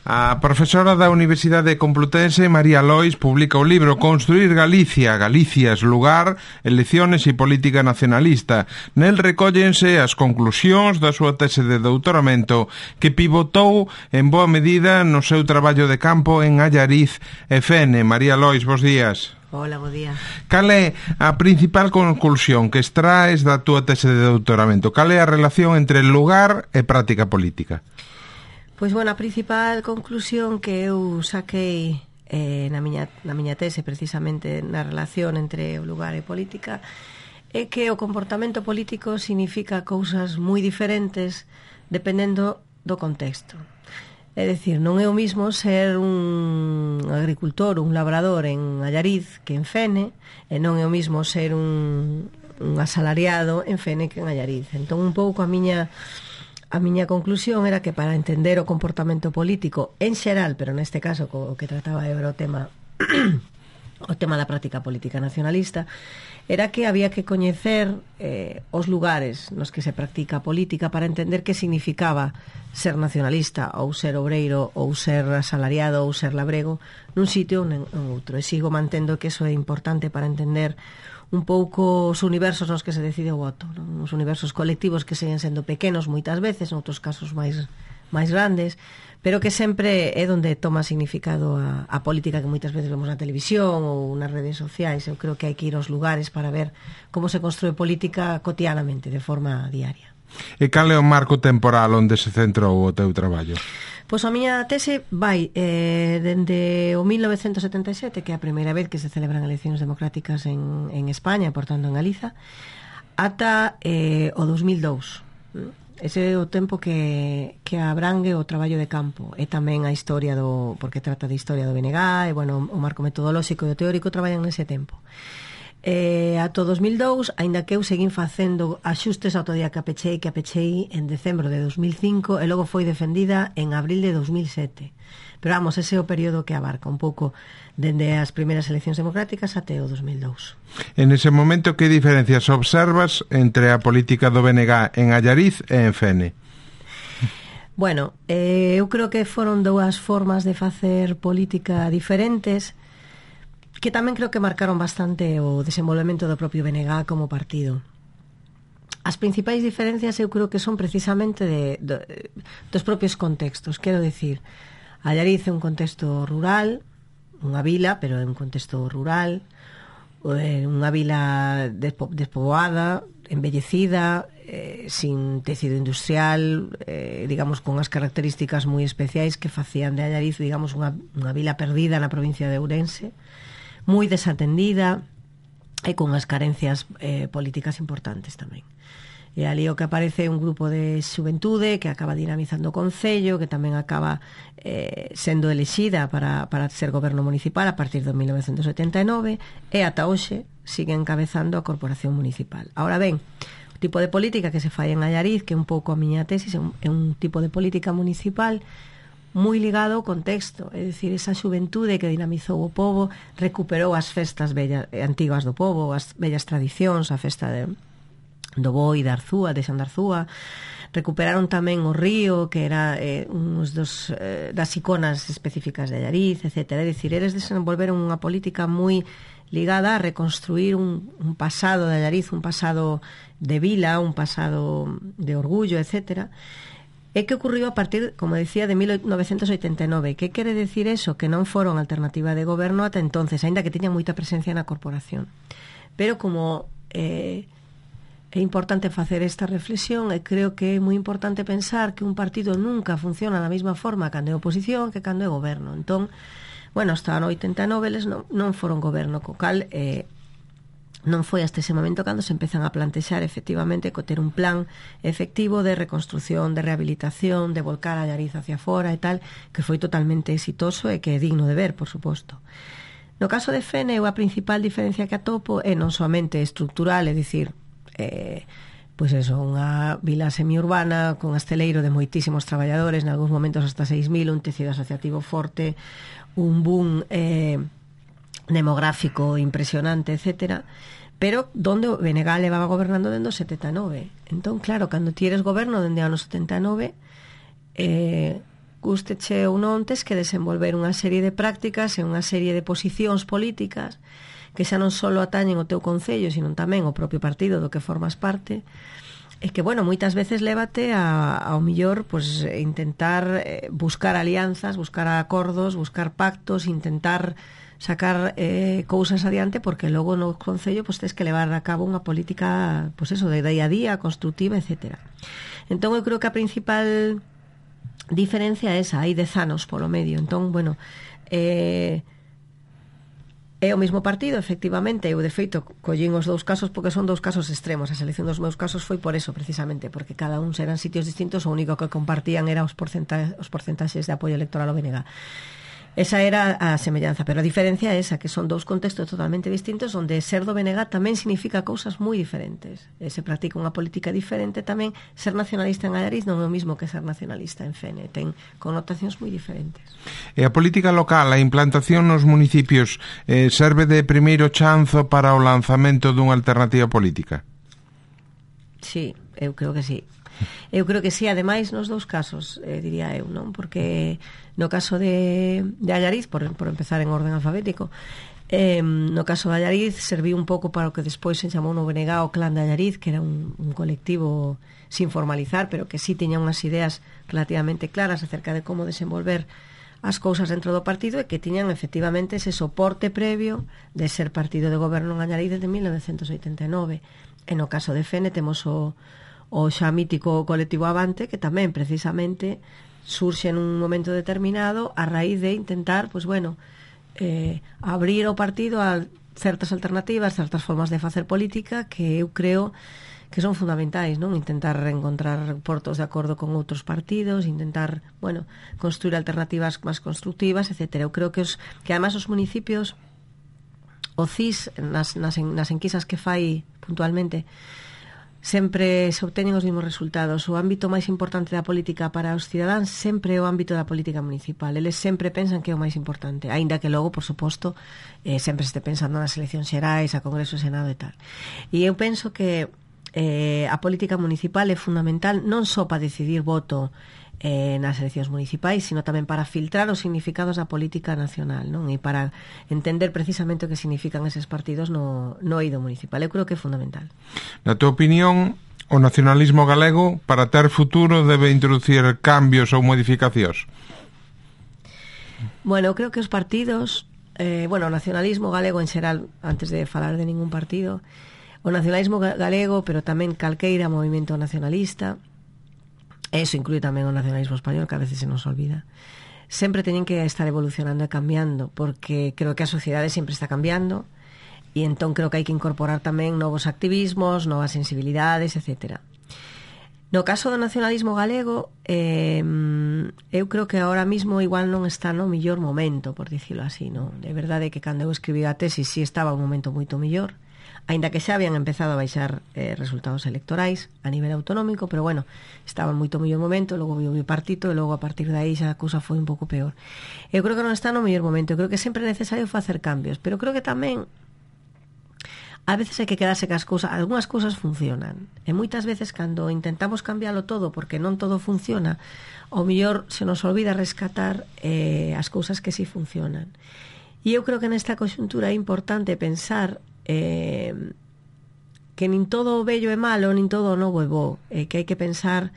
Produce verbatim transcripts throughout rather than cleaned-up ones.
A profesora da Universidade Complutense, María Lois, publica o libro Construir Galicia, Galicias, lugar, elecciones e política nacionalista. Nel recóllense as conclusións da súa tese de doutoramento que pivotou en boa medida no seu traballo de campo en Allariz e Fene. María Lois, bos días. Hola, bo día. Cal é a principal conclusión que extraes da túa tese de doutoramento? Cal é a relación entre lugar e práctica política? Pois, bueno, a principal conclusión que eu saquei eh, na, miña, na miña tese, precisamente na relación entre o lugar e política, é que o comportamento político significa cousas moi diferentes dependendo do contexto. É dicir, non é o mismo ser un agricultor, un labrador en Allariz que en Fene, e non é o mismo ser un, un asalariado en Fene que en Allariz. Entón, un pouco a miña... A miña conclusión era que para entender o comportamento político en xeral, pero neste caso o que trataba era o tema o tema da práctica política nacionalista, era que había que coñecer eh, os lugares nos que se practica a política para entender que significaba ser nacionalista ou ser obreiro ou ser asalariado ou ser labrego nun sitio ou en outro. E sigo mantendo que eso é importante para entender un pouco os universos nos que se decide o voto, non? Os universos colectivos que seguen sendo pequenos moitas veces, en outros casos máis máis grandes, pero que sempre é onde toma significado a, a política que moitas veces vemos na televisión ou nas redes sociais. Eu creo que hai que ir aos lugares para ver como se construe política cotidianamente, de forma diaria. E cal é o marco temporal onde se centrou o teu traballo? Pois a miña tese vai eh, dende o mil novecentos setenta e sete, que é a primeira vez que se celebran eleccións democráticas en, en España, portanto en Galiza, ata eh, o dos mil dous. Ese é o tempo que, que abrangue o traballo de campo e tamén a historia do, porque trata de historia do B N G e, bueno, o marco metodolóxico e o teórico traballan nese tempo. Eh, ata o dos mil dous, aínda que eu seguín facendo axustes ao día que a pechei, que a pechei en decembro de dos mil cinco e logo foi defendida en abril de dos mil sete. Pero vamos, ese é o período que abarca un pouco dende as primeiras eleccións democráticas até o dos mil dous. En ese momento, que diferencias observas entre a política do B N G en Allariz e en Fene? Bueno, eh, eu creo que foron dúas formas de facer política diferentes que tamén creo que marcaron bastante o desenvolvemento do propio B N G como partido. As principais diferencias eu creo que son precisamente de, de, dos propios contextos. Quero dicir, Allariz é un contexto rural, unha vila, pero é un contexto rural, unha vila despo, despoboada, embellecida, eh, sin tecido industrial, eh, digamos, con as características moi especiais que facían de Allariz, digamos, unha, unha vila perdida na provincia de Ourense, moi desatendida e con as carencias eh, políticas importantes tamén. E ali o que aparece é un grupo de xuventude que acaba dinamizando o Concello, que tamén acaba eh, sendo elexida para, para ser goberno municipal a partir de mil novecentos setenta e nove e ata hoxe sigue encabezando a corporación municipal. Ahora ben, o tipo de política que se fai en Allariz, que é un pouco a miña tesis, é un, é un tipo de política municipal moi ligado ao contexto, é dicir, esa xuventude que dinamizou o pobo, recuperou as festas bellas, antigas do pobo, as bellas tradicións, a festa de, do boi, da Arzúa, de Xan de Arzúa, recuperaron tamén o río, que era eh, uns dos, eh, das iconas específicas de Allariz, etcétera. É dicir, eles desenvolveron unha política moi ligada a reconstruir un, un pasado de Allariz, un pasado de vila, un pasado de orgullo, etcétera. E que ocurriu a partir, como decía, de mil novecentos oitenta e nove. Que quere decir eso? Que non foron alternativa de goberno ata entonces, aínda que tiñan moita presencia na corporación. Pero como eh, é importante facer esta reflexión, e creo que é moi importante pensar que un partido nunca funciona da mesma forma cando é oposición que cando é goberno. Entón, bueno, hasta no oitenta e nove eles non, non foron goberno, co cal eh, non foi hasta ese momento cando se empezan a plantexar efectivamente co ter un plan efectivo de reconstrucción, de rehabilitación, de volcar a Allariz hacia fora e tal, que foi totalmente exitoso e que é digno de ver, por suposto. No caso de Fene, a principal diferencia que atopo é non somente estructural, é dicir, eh, pois eso, unha vila semiurbana con asteleiro de moitísimos traballadores, en algúns momentos hasta seis mil, un tecido asociativo forte, un boom eh, demográfico impresionante, etcétera, pero donde o B N G levaba gobernando dende o setenta e nove. Entón, claro, cando tires goberno dende o ano setenta e nove, eh, gusteche ou non, tes que desenvolver unha serie de prácticas e unha serie de posicións políticas que xa non só atañen o teu concello, sino tamén o propio partido do que formas parte, e que, bueno, moitas veces lévate a, ao millor pues, intentar eh, buscar alianzas, buscar acordos, buscar pactos, intentar sacar eh, cousas adiante, porque logo no concello pues, tens que levar a cabo unha política pues eso, de día a día, constructiva, etcétera. Entón eu creo que a principal diferencia é esa, hai dez anos polo medio. Entón, bueno, eh, é o mesmo partido, efectivamente. Eu, de feito, collín os dous casos porque son dous casos extremos. A selección dos meus casos foi por eso, precisamente, porque cada un eran sitios distintos, o único que compartían era os, porcenta os porcentaxes de apoio electoral ao B N G. Esa era a semellanza, pero a diferencia é esa, que son dous contextos totalmente distintos, onde ser do B N G tamén significa cousas moi diferentes. E se practica unha política diferente tamén. Ser nacionalista en Allariz non é o mismo que ser nacionalista en Fene, ten connotacións moi diferentes. E a política local, a implantación nos municipios, eh, serve de primeiro chanzo para o lanzamento dunha alternativa política? Sí, eu creo que sí. Eu creo que sí, ademais nos dous casos, eh, diría eu, non? Porque no caso de, de Allariz, por, por empezar en orden alfabético, eh, no caso de Allariz serviu un pouco para o que despois se chamou no B N G o Clan de Allariz, que era un, un colectivo sin formalizar, pero que sí tiña unhas ideas relativamente claras acerca de como desenvolver as cousas dentro do partido, e que tiñan efectivamente ese soporte previo de ser partido de goberno en Allariz desde mil novecentos oitenta e nove. E no caso de Fene temos o o xa mítico colectivo Avante, que tamén precisamente surxe en un momento determinado a raíz de intentar, pues bueno, eh, abrir o partido a certas alternativas, certas formas de facer política que eu creo que son fundamentais, non? Intentar reencontrar portos de acordo con outros partidos, intentar, bueno, construir alternativas máis constructivas, etcétera. Eu creo que os que además os municipios, o C I S nas, nas, nas enquisas que fai puntualmente, sempre se obteñen os mesmos resultados. O ámbito máis importante da política para os cidadáns sempre é o ámbito da política municipal. Eles sempre pensan que é o máis importante, aínda que logo, por suposto, eh, sempre se este pensando nas eleccións xerais, a Congreso, Senado e tal. E eu penso que eh, a política municipal é fundamental non só para decidir voto eh, nas eleccións municipais, sino tamén para filtrar os significados da política nacional, non? E para entender precisamente o que significan eses partidos no, no eido municipal. Eu creo que é fundamental. Na tua opinión, o nacionalismo galego, para ter futuro, debe introducir cambios ou modificacións? Bueno, eu creo que os partidos, eh, bueno, o nacionalismo galego en xeral, antes de falar de ningún partido, o nacionalismo galego, pero tamén calqueira movimento nacionalista, eso inclúe tamén o nacionalismo español, que a veces se nos olvida, sempre teñen que estar evolucionando e cambiando, porque creo que a sociedade sempre está cambiando, e entón creo que hai que incorporar tamén novos activismos, novas sensibilidades, etcétera. No caso do nacionalismo galego, eh, eu creo que ahora mismo igual non está no millor momento, por dicilo así, non? De verdade que cando eu escribí a tesis sí estaba un momento moito millor, aínda que xa habían empezado a baixar eh, resultados electorais a nivel autonómico, pero bueno, estaba en moito mellor momento, logo viu o bipartito e logo a partir de aí xa a cousa foi un pouco peor. Eu creo que non está no mellor momento, eu creo que sempre é necesario facer cambios, pero creo que tamén a veces hai que quedarse que as cousas, algunhas cousas funcionan, e moitas veces cando intentamos cambiálo todo porque non todo funciona, ao mellor se nos olvida rescatar eh, as cousas que sí funcionan. E eu creo que nesta conxuntura é importante pensar Eh, que nin todo o bello é malo, nin todo o novo é bo, eh, que hai que pensar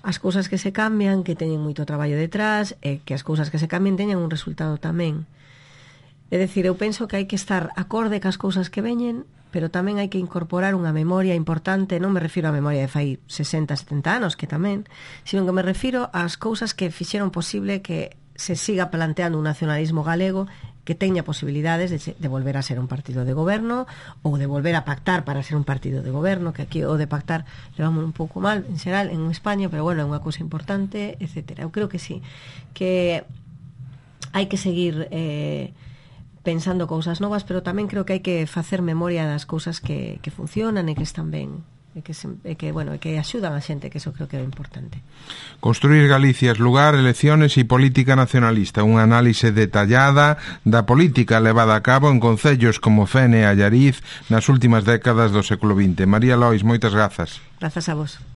as cousas que se cambian, que teñen moito traballo detrás, e eh, que as cousas que se cambian teñan un resultado tamén. É dicir, eu penso que hai que estar acorde cas cousas que veñen, pero tamén hai que incorporar unha memoria importante, non me refiro á memoria de fai sesenta, setenta anos, que tamén, sino que me refiro ás cousas que fixeron posible que se siga planteando un nacionalismo galego que teña posibilidades de, de volver a ser un partido de goberno ou de volver a pactar para ser un partido de goberno, que aquí o de pactar levamos un pouco mal en xeral en España, pero bueno, é unha cousa importante, etcétera. Eu creo que sí, que hai que seguir eh, pensando cousas novas, pero tamén creo que hai que facer memoria das cousas que, que funcionan e que están ben, e que, se, e que, bueno, e que axudan a xente, que eso creo que é importante. Construir Galicia, lugar, elecciones e política nacionalista, unha análise detallada da política levada a cabo en concellos como Fene e Allariz nas últimas décadas do século vinte. María Lois, moitas grazas. Grazas a vos.